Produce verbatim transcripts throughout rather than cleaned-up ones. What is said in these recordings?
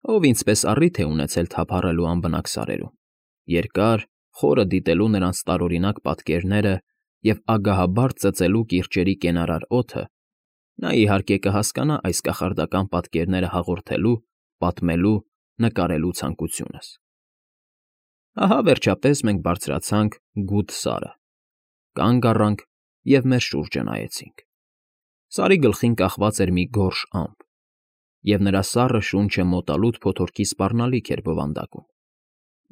ով ինձպես առիթ է ունեցել թափառելու անբնակ սարերում, երկար, խորը դիտելու նրանց տարօրինակ պատկերները և ագահաբար ծծելու կիրճերի կենարար օդը, նա, իհարկե, կհասկանա այս կախարդական պատկերները հաղորդելու, պատմելու, նկարելու ցանկությունս։ Ահա, վերջապես, մենք բարձրացանք Գութ Սարը, կանգ առանք և մեր շուրջը նայեցինք։ Սարի գլխին կախված էր մի գորշ ամպ, և նրա սառը շունչը մոտալուտ փոթորկի սպառնալիք էր բովանդակում,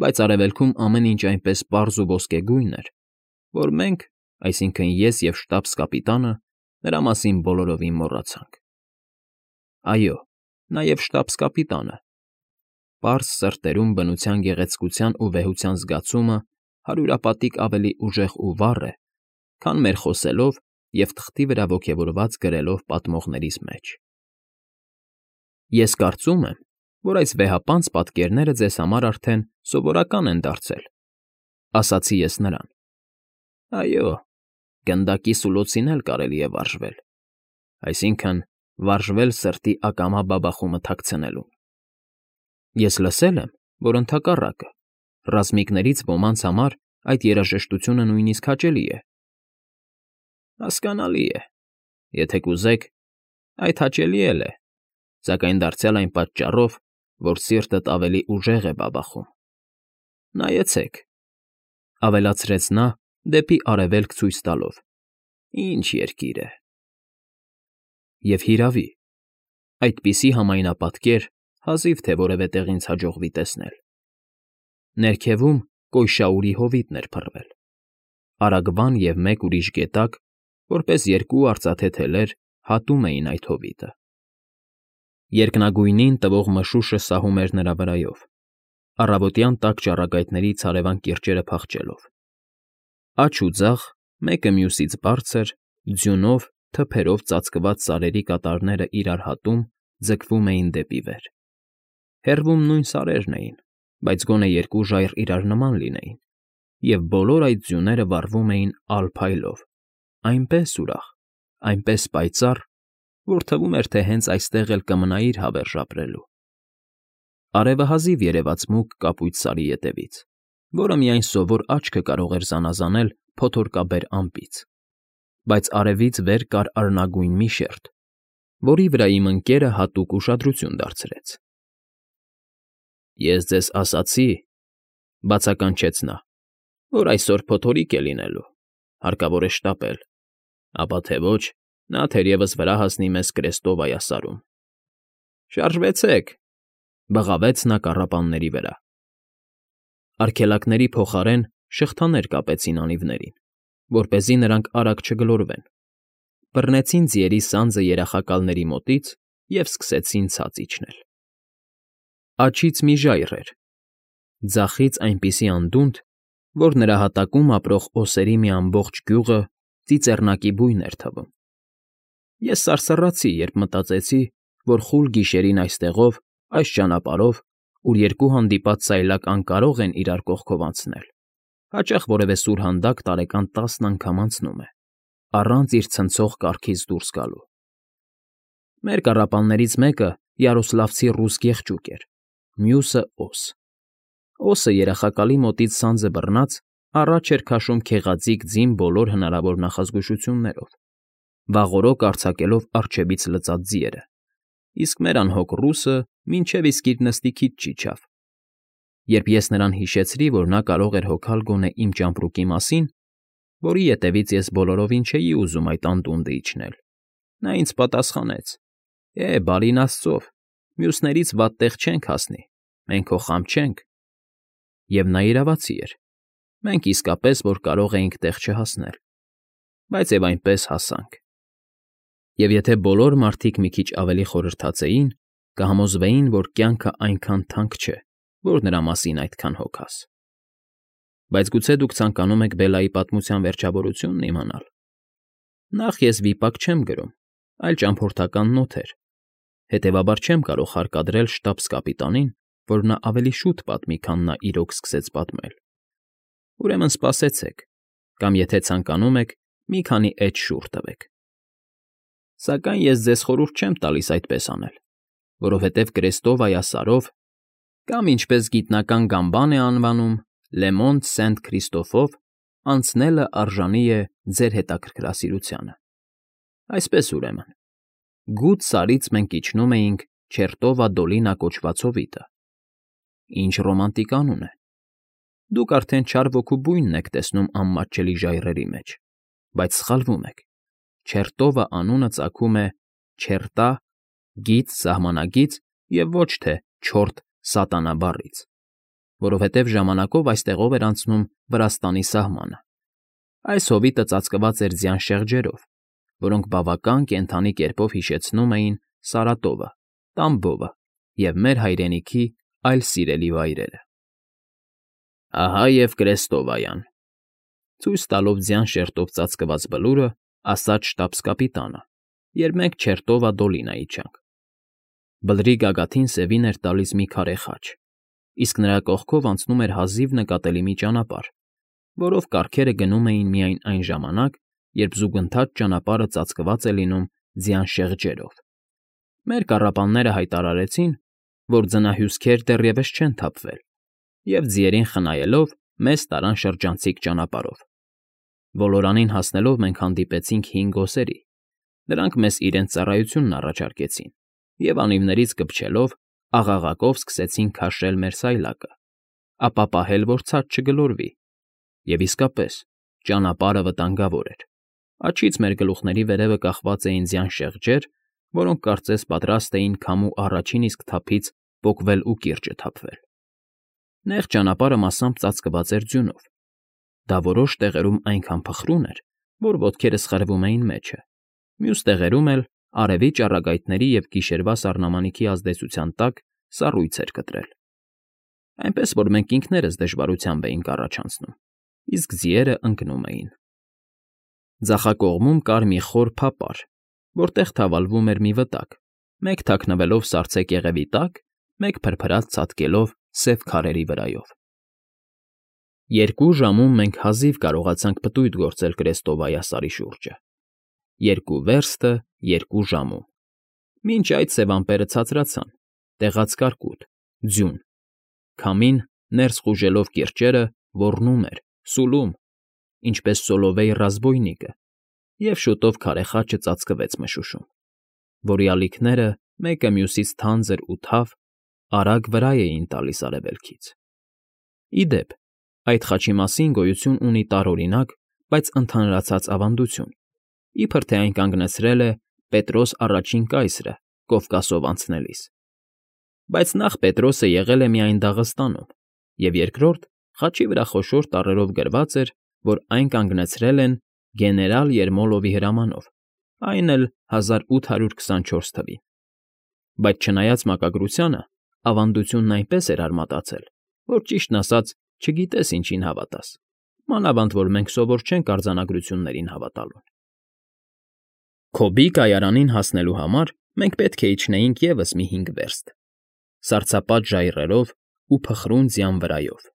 բայց արևելքում ամեն ինչ այնպես պարզ ու ոսկեգույն էր, որ մենք, այսինքն՝ ես և շտաբս֊կապիտանը, նրա մասին բոլորովին մոռացանք։ Այո, նաև շտաբս֊կապիտանը։ Պարզ սրտերում բնության գեղեցկության ու վեհության զգացումը հարյուրապատիկ ավելի ուժեղ ու վառ է, քան մեր խոսելով և թղթի վրա ոգևորված գրելով պատմողներիս մեջ։ Ես կարծում եմ, որ այս վեհապանծ պատկերները ձեզ համար արդեն սովորական են դարձել, ֊ ասացի ես նրան։ Այո, գնդակի սուլոցին էլ կարելի է վարժվել, այսինքն՝ վարժվել սրտի ակամա բաբախումը թաքցնելուն։ Ես լսել եմ, որ ընդհակառակը, ռազմիկներից ոմանց համար այդ երաժշտությունը նույնիսկ հաճելի է։ Հասկանալի է, եթե կուզեք, այդ հաճելի էլ է, սակայն դարձյալ այն պատճառով, որ սիրտդ ավելի ուժեղ է բաբախում։ Նայեցեք,֊ ավելացրեց նա, դեպի արևելք ցույց տալով,֊ ինչ երկիր է… Եվ հիրավի, այդպիսի համայնապատկեր հազիվ թե որևէ տեղ ինձ հաջողվի տեսնել։ Ներքևում կոյշաուրի հովիտն էր փռվել, արագվան և մեկ ուրիշ գետակ, որպես երկու արծաթե թելեր, հատում էին այդ հովիտը։ Երկնագույնին տվող մշուշը սահում էր նրա վրայով, առավոտյան տաք ճառագայթների ցարևան կիրճերը փախչելով։ Աջ ու ձախ, մեկը մյուսից բարձր, ձյունով, թփերով ծածկված սարերի կատարները իրար հատում, ձգվում էին դեպի վեր։ Հեռվում նույն սարերն էին, բայց գոնե երկու ժայռ իրար նման լինեին, և բոլոր այդ ձյուները վառվում էին ալ փայլով, այնպես ուրախ, այնպես պայծառ, որ թվում էր, թե հենց այստեղ էլ կմնայիր հավերժ ապրելու։ Արևը հազիվ երևաց մուգ կապույտ սարի ետևից, որը միայն սովոր աչքը կարող էր զանազանել փոթորկաբեր ամպից, բայց արևից վեր կար արնագույն մի շերջ, որի վրա իմ ընկերը հատուկ ուշադրություն դարձրեց։ Ես ձեզ ասացի,֊ բացականչեց նա,֊ որ այսօր փոթորիկ է լինելու, հարկավոր է շտապել, ապա թե ոչ, նա թերևս վրա հասնի մեզ Կրեստովայասարում։ Շարժվեցեք,֊ բղավեց նա կառապանների վրա։ Արգելակների փոխարեն շղթաներ կապեցին անիվներին, որպեսզի նրանք արագ չգլորվեն, բռնեցին ձիերի սանձը երախակալների մոտից և սկսեցին ցած իջնել։ Աջից մի ժայռ էր, ձախից այնպիսի անդունդ, որ նրա հատակում ապրող օսերի մի ամբողջ գյուղը ծիծեռնակի բույն էր թվում։ Ես սարսռացի, երբ մտածեցի, որ խուլ գիշերին այստեղով, այս ճանապարհով, ուր երկու հանդիպած սայլակ անկարող են իրար կողքով անցնել, հաճախ որևէ սուրհանդակ տարեկան տասն անգամ անցնում է, առանց իր ցնցող կառքից դուրս գալու։ Մեր կառապաններից մեկը յարոսլավցի ռուս գեղջուկ էր, մյուսը՝ օս։ Օսը երախակալի մոտից սանձը բռնած առաջ էր քաշում քեղաձիգ ձին բոլոր հնարավոր նախազգուշություններով, վաղօրոք արձակելով առջևից լծած ձիերը, իսկ մեր անհոգ ռուսը մինչև իսկ իր նստիքից չիջավ։ Երբ ես նրան հիշեցրի, որ նա կարող էր հոգալ գոնե իմ ճամպրուկի մասին, որի ետևից ես բոլորովին չէի ուզում այդ անդունդը իջնել, նա ինձ պատասխանեց. «Է, բարին աստծով, մյուսներից վատ տեղ չենք հասնի, մենք քո խավ չենք»։ Եվ նա իրավացի էր, մենք իսկապես որ կարող էինք տեղ չհասնել, բայց և այնպես հասանք։ Եվ եթե բոլոր մարդիկ մի քիչ ավելի խորհրդածեին, կհամոզվեին, որ կյանքը այնքան թանկ չէ, որ նրա մասին այդքան հոգաս։ Բայց գուցե դուք ցանկանում եք Բելայի պատմության վերջավորությունն իմանալ։ Նախ ես վիպակ չեմ գրում, այլ ճամփորդական նոթեր, հետևաբար չեմ կարող հարկադրել շտաբս֊կապիտանին, որ նա ավելի շուտ պատմի, քան նա իրոք սկսեց պատմել։ Ուրեմն սպասեցեք, կամ եթե ցանկանում եք, մի քանի էջ շուռ տվեք։ Սակայն ես ձեզ խորհուրդ չեմ տալիս այդպես անել, որովհետև Կրեստովայա Սարով Կամ ինչպես գիտնական Գամբան է անվանում, Լեմոնտ Սենտ Քրիստոֆով, անցնելը արժանի է ձեր հետաքրքրասիրությանը։ Այսպես ուրեմն, գութ Սարից մենք իջնում էինք Չերտովա Դոլինա կոչված հովիտը։ Ինչ ռոմանտիկ անուն է։ Դուք արդեն չար ոգու բույնն եք տեսնում անմատչելի ժայռերի մեջ, բայց սխալվում եք։ Չերտովա անունը ծագում է չերտա, գիծ, սահմանագիծ և ոչ թե չորտ սատանա բառից, որովհետև ժամանակով այստեղով էր անցնում Վրաստանի սահմանը։ Այս հովիտը ծածկված էր ձյան շեղջերով, որոնք բավական կենդանի կերպով հիշեցնում էին Սարատովը, Տամբովը և մեր հայրենիքի այլ սիրելի վայրերը։ Ահա և Կրեստովայան, ցույց տալով ձյան շերտով ծածկված բլուրը, ասաց շտաբս֊կապիտանը, երբ մենք Չերտովա Դոլինա իջանք։ Բլրի գագաթին սևին էր տալիս մի քարե խաչ, իսկ նրա կողքով անցնում էր հազիվ նկատելի մի ճանապարհ, որով կառքերը գնում էին միայն այն ժամանակ, երբ զուգընթաց ճանապարհը ծածկված է լինում ձյան շեղջերով։ Մեր կառապանները հայտարարեցին, որ ձնահյուսքեր դեռևս չեն թափվել, և ձիերին խնայելով մեզ տարան շրջանցիկ ճանապարհով։ Ոլորանին հասնելով մենք հանդիպեցինք հին գոսերի, նրանք մեզ իրենց ծառայությունն առաջարկեցին և անիվներից կպչելով աղաղակով սկսեցին քաշել մեր սայլակը, ապա պահել, որ ցած չգլորվի։ Եվ իսկապես, ճանապարհը վտանգավոր էր։ Աջից մեր գլուխների վերևը կախված էին ձյան շեղջեր, որոնք կարծես պատրաստ էին քամու առաջին իսկ թափից պոկվել ու կիրճը թափվել։ Նեղ ճանապարհը մասամբ ծածկված էր ձյունով։ Դա որոշ տեղերում այնքան փխրուն էր, որ ոտքերս խրվում էին մեջը, մյուս տեղերում էլ արևի ճառագայթների և գիշերվա սառնամանիքի ազդեցության տակ սառույց էր կտրել, այնպես որ մենք ինքներս դժվարությամբ էինք առաջ անցնում, իսկ ձիերը ընկնում էին։ Ձախակողմում կար մի խոր փապար, որտեղ թավալվում էր մի վտակ, մեկ թաքնվելով սառցե կեղևի տակ, մեկ փրփրած ցատկելով սև քարերի վրայով։ Երկու ժամում մենք հազիվ կարողացանք պտույտ գործել Կրեստովայա սարի շուրջը։ Երկու վերստը երկու ժամում։ Մինչ այդ սև ամպերը ցածրացան, տեղաց կարկուտ, ձյուն, քամին, ներս խուժելով կիրճերը, ոռնում էր, սուլում, ինչպես Սոլովեյ ռազբոյնիկը, և շուտով քարե խաչը ծածկվեց մշուշում, որի ալիքները մեկը մյուսից թանձր ու թավ, արագ վրա էին տալիս արևելքից։ Ի դեպ, այդ խաչի մասին գոյություն ունի տարօրինակ, բայց ընդհանրացած ավանդություն, իբր թե այն կանգնեցրել է Պետրոս առաջին կայսրը Կովկասով անցնելիս։ Բայց նախ Պետրոսը եղել է միայն Դաղստանում, և երկրորդ խաչի վրա խոշոր տառերով գրված էր, որ այն կանգնեցրել են գեներալ Երմոլովի հրամանով, այն էլ հազար ութ հարյուր քսանչորս թվին։ Բայց չնայած մակագրությանը, ավանդությունն այնպես էր արմատացել, որ ճիշտն ասած չգիտես ինչին հավատաս, մանավանդ որ մենք սովոր չենք արձանագրություններին հավատալու։ Քոբի կայարանին հասնելու համար մենք պետք է իջնեինք ևս մի հինգ վերստ, սառցապատ ժայռերով ու փխրուն ձյան վրայով։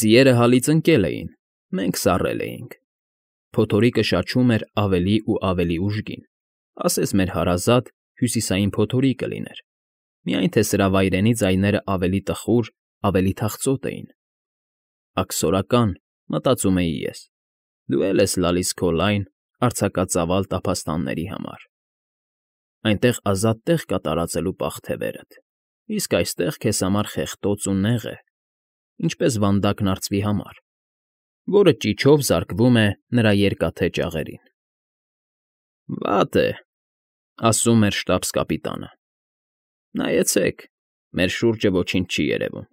Ձիերը հալից ընկել էին, մենք սառել էինք։ Փոթորիկը շաչում էր ավելի ու ավելի ուժգին, ասես մեր հարազատ հյուսիսային փոթորիկը լիներ, միայն թե սրա վայրենի ձայները ավելի տխուր, ավելի թախծոտ էին։ Աքսորական, մտածում էի ես, դու էլ ես լալիս քո լայն, արձակածավալ տափաստանների համար։ Այնտեղ ազատ տեղ կա տարածելու պաղ թևերդ, իսկ այստեղ քեզ համար խեղտոց ու նեղ է, ինչպես վանդակն արծվի համար, որը ճիչով զարկվում է նրա երկաթե ճաղերին։ Վատ է, ասում էր շտաբս֊կապիտանը։ Նայեցեք, մեր շուրջը ոչինչ չի երևում,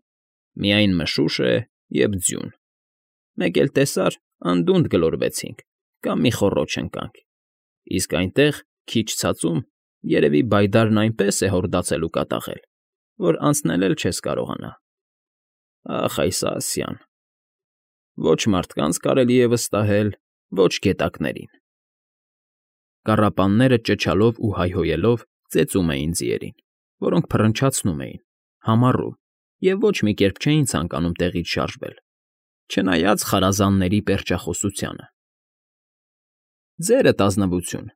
միայն մշուշ է և ձյուն։ Մեկ էլ տեսար, անդունդը գլորվեցինք կամ մի խոռոչ ընկանք, իսկ այնտեղ, քիչ ցածում, երևի բայդարն այնպես է հորդացել ու կատաղել, որ անցնել էլ չես կարողանա։ Ախ այս Ասիան… Ոչ մարդկանց կարելի է վստահել, ոչ գետակներին։ Կառապանները ճչալով ու հայհոյելով ծեծում էին ձիերին, որոնք փռնչացնում էին, համառում և ոչ մի կերպ չէին ցանկանում տեղից շարժվել, չնայած խարազանների պերճախոսությանը։ Ձերդ ազնվություն,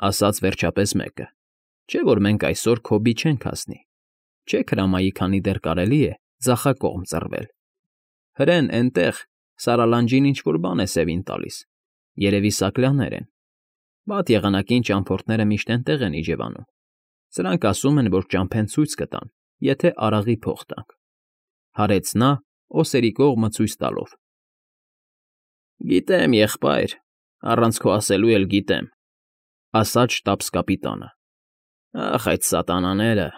ասաց վերջապես մեկը, չէ՞ որ մենք այսօր Քոբի չենք հասնի։ Չէ՞ հրամայի, քանի դեռ կարելի է ձախակողմ ծռվել։ Հրեն էնտեղ, սարալանջին ինչ֊որ բան է սևին տալիս, երևի սակլաներ են։ Վատ եղանակին ճամփորդները միշտ էնտեղ են իջևանում, սրանք ասում են, որ ճամփեն ցույց կտան, եթե արաղի փող տանք,֊ հարեց նա՝ օսերի կողմը ցույց տալով։ Գիտեմ, եղբայր, առանց քո ասելու էլ գիտեմ,֊ ասաց շտաբս֊կապիտանը։ Ախ, այդ սատանաները…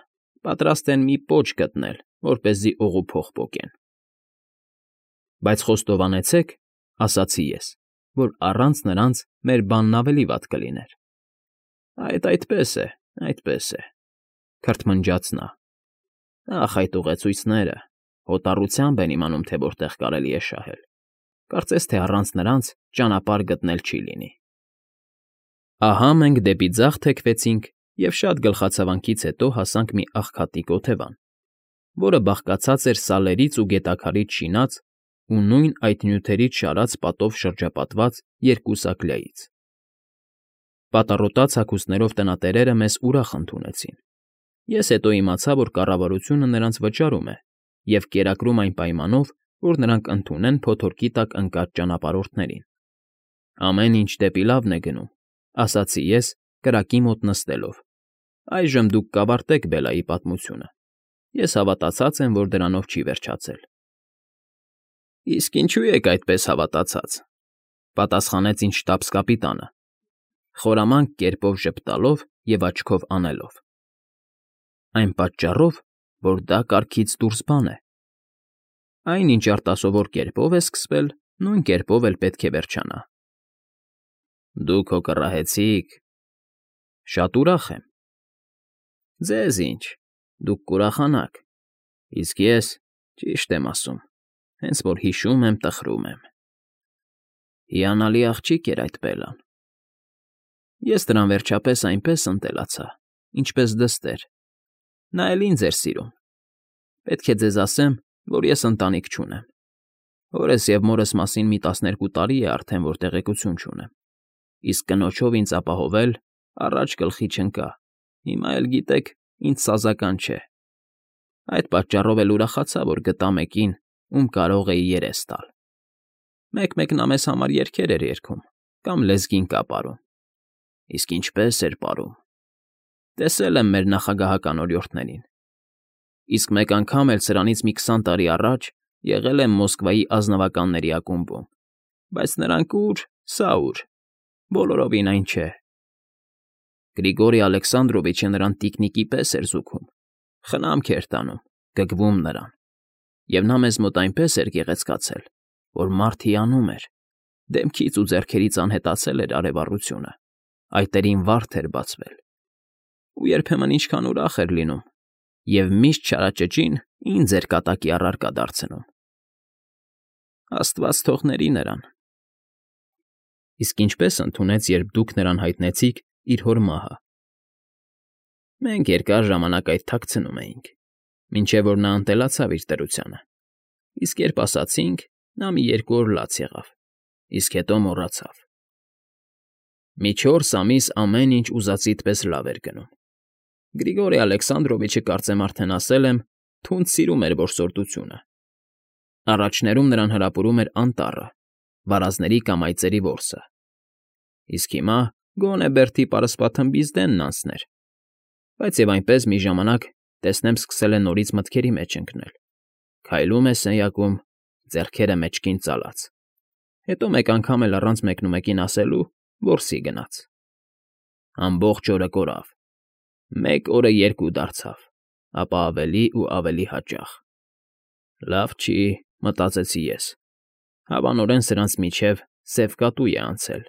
պատրաստ են մի պոչ գտնել, որպեսզի օղու փող պոկեն։ Բայց խոստովանեցեք, ասացի ես, որ առանց նրանց մեր բանն ավելի վատ կլիներ։ Այդ այդպես է, այդպես է,֊ քրթմնջաց նա։ Ախ, այդ ուղեցույցները… հոտառությամբ են իմանում, թե որտեղ կարելի է շահել, կարծես թե առանց նրանց ճանապարհ գտնել չի լինի։ Ահա մենք դեպի ձախ թեքվեցինք և շատ գլխացավանքից հետո հասանք մի աղքատիկ օթևան, որը բաղկացած էր սալերից ու գետաքարից շինած ու նույն այդ նյութերից շարած պատով շրջապատված երկու սակլյայից։ Պատառոտած հագուստներով տնատերերը մեզ ուրախ ընդունեցին։ Ես հետո իմացա, որ կառավարությունը նրանց վճարում է և կերակրում այն պայմանով, որ նրանք ընդունեն փոթորկի տակ ընկած ճանապարհորդներին։ Ամեն ինչ դեպի լավն է գնում,֊ ասացի ես, կրակի մոտ նստելով։ Այժմ դուք կավարտեք Բելայի պատմությունը։ Ես հավատացած եմ, որ դրանով չի վերջացել։ Իսկ ինչու եք այդպես հավատացած,֊ պատասխանեց ինձ շտաբս֊կապիտանը, խորամանկ կերպով ժպտալով և աչքով անելով։ Այն պատճառով, որ դա կարգից դուրս բան է։ Այն, ինչ արտասովոր կերպով է սկսվել, նույն կերպով էլ պետք է վերջանա։ Դուք հո կռահեցի՞ք։ Շատ ուրախ եմ։ Ձեզ ինչ, դուք կուրախանաք, իսկ ես, ճիշտ եմ ասում, հենց որ հիշում եմ, տխրում եմ։ Հիանալի աղջիկ էր այդ Բելան։ Ես դրան վերջապես այնպես ընտելացա, ինչպես դստեր։ Նա էլ ինձ էր սիրում։ Պետք է ձեզ ասեմ, որ ես ընտանիք չունեմ։ Հորս և մորս մասին մի տասներկու տարի է արդեն, որ տեղեկություն չունեմ, իսկ կնոջով ինձ ապահովել առաջ գլխի չընկա, հիմա էլ, գիտեք, ինձ սազական չէ։ Այդ պատճառով էլ ուրախացա, որ գտա մեկին, ում կարող էի երես տալ։ Մեկ֊մեկ նա մեզ համար երգեր էր երգում կամ լեզգին կապարում։ Իսկ ինչպե՜ս էր պարում։ Տեսել եմ մեր նախագահական օրիորդներին։ Իսկ մեկ անգամ էլ սրանից մի քսան տարի առաջ եղել եմ Մոսկվայի ազնվականների ակումբում, բայց նրանք ուր, սա ուր, բոլորովին այն չէ։ Գրիգորի Ալեքսանդրովիչը նրան տիկնիկի պես էր զուգում, խնամք էր տանում, գգվում նրան, և նա մեզ մոտ այնպես էր գեղեցկացել, որ մարդ հիանում էր, դեմքից ու ձեռքերից անհետացել էր արևառությունը, այտերին վարդ էր բացվել։ Ու երբեմն ինչքան ուրախ էր լինում, և միշտ չարաճճին ինձ էր կատակի առարկա դարձնում։ Աստված թողների նրան։ Իսկ ինչպե՞ս ընդունեց, երբ դուք նրան հայտնեցիք իր հոր մահը։ Մենք երկար ժամանակ այդ թաքցնում էինք, մինչև որ նա ընտելացավ իր դրությանը, իսկ երբ ասացինք, նա մի երկու օր լաց եղավ, իսկ հետո մոռացավ։ Մի չորս ամիս ամեն ինչ ուզածիդ պես լավ էր գնում։ Գրիգորի Ալեքսանդրովիչը, կարծեմ արդեն ասել եմ, թունդ սիրում էր որսորդությունը։ Առաջներում նրան հրապուրում էր անտառը, վարազների կամ այծերի որսը։ Իսկ հիմա գոնե Բերթի պարսպաթմբից դենն անցներ։ Բայց և այնպես մի ժամանակ, տեսնեմ, սկսել է նորից մտքերի մեջ ընկնել։ Քայլում է սենյակում, ձեռքերը մեջքին ծալած։ Հետո մեկ անգամ էլ առանց մեկնումեկին ասելու որսի գնաց։ Ամբողջ օրը կորավ։ Մեկ օրը երկու դարձավ, ապա ավելի ու ավելի հաճախ։ Լավ չի, մտածեցի ես, հավանորեն սրանց միջև սև կատու է անցել։